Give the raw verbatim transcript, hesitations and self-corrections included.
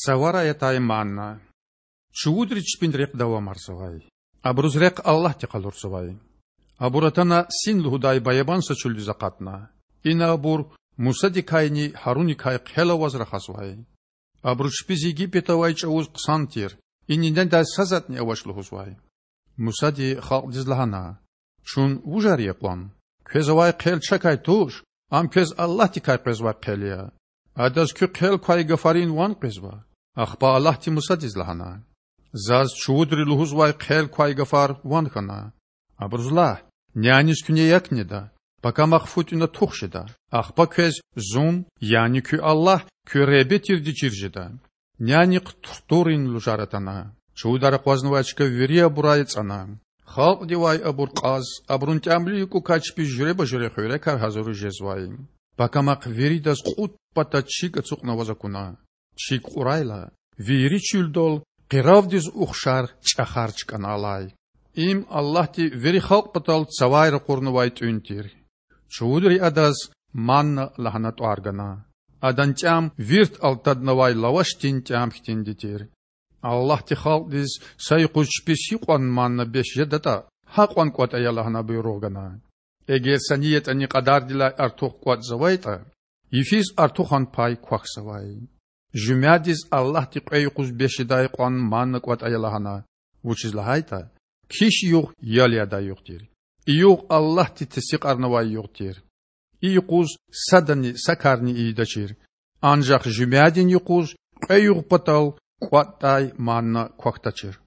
Цаварай атай манна. Чувудри чпин рехъ давамарзавай. Абуруз рехъ Аллагьди къалурзавай. Абур атана Син лугьудай баябан са чуьлдиз акъатна. Ина абур Мусадикайни Гьаруникай хъел аваз рахазвай. Абуру чпиз Египетда авай чІавуз хъсан тир, идан недай са затІни авач лугьузвай. Мусади халкьдиз лагьана: Чун вужар я кьван? Квез авай хъел чакай туш, ам квез Аллагьдикай къвезвай хъел я. Адаз куь хъел квай гафарин ван къвезва. Ахпа Аллагьди Мусадиз лагьана: Заз чувудри лугьузвай хъел квай гафар ван хьана. Абуруз лагь: няниз куьне як неда, пакамахъ фу тІуьна тух жеда. Ахпа квез Зун, яни куь Аллагь, куь Худа тирди чир жеда. Нянихъ туртурун лужар атана. Чувудар акъвазнавай чка вири абурай ацІана. Халкьдивай абур кьаз, абурун тІямлу юкІукай чпиз жуьреба-жуьре хуьрекар гьазуриз жезвай. Пакамахъ виридаз кьуд пата чиг ацукьнаваз акуна. Чиг кьурайла, вири чуьлдал къиравдиз ухшар чІахар чкІана алай. Им Аллагьди вири халкь патал цавай ракъурнавай тІуьн тир. Чувудри адаз манна лагьана тІвар гана. Адан тІям вирт алтаднавай лавашдин тІям хьтинди тир. Аллагьди халкьдиз са юкъуз чпиз гьикьван манна бес жедатІа, гьакьван кІватІ ая лагьана буйругъ гана. Эгер са ни ятІани кьадардилай артух кІватІзавайтІа, йифиз артухан пай квахьзавай. Жуьмядиз Аллагьди кьве юкъуз бес жедай кьван манна кІватІ ая лагьана, вучиз лагьайтІа киш югъ ял ядай югъ тир. И югъ Аллагьди тестикьарнавай югъ тир. И юкъуз садани са карни ийидачир. Анжах жуьмядин юкъуз кьве югъ патал кІватІдай манна квахьдачир.